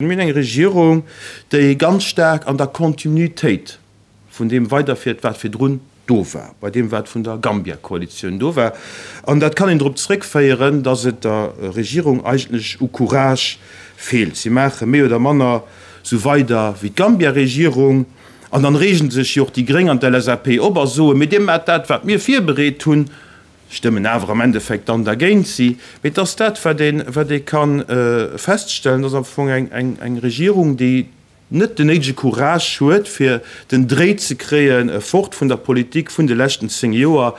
Mir hunn eng Regierung, déi ganz staark an der Kontinuitéit vun deem weiderfiert, wat virdrun do war, bei deem, wat vun der Gambia-Koalitioun do war. An dat kann een drop zréckféieren, datt et der Regierung eigentlech u Courage feelt. Si maache méi oder manner sou weider wéi d'Gambia-Regierung. An dann reegen sech jo och déi Gréng an d'LSAP op a soen, Mee Dir maacht dat, wat mir virbereet hunn. Stëmmen awer am Endeffekt dann dergéint si. Mee et ass dat, wat ee, wat ee ka feststellen, dass am Fong eng, eng, eng Regierung, déi net den néidege Courage huet, fir den Dréi ze kréien, fort vun der Politik vun de leschten 10 Joer.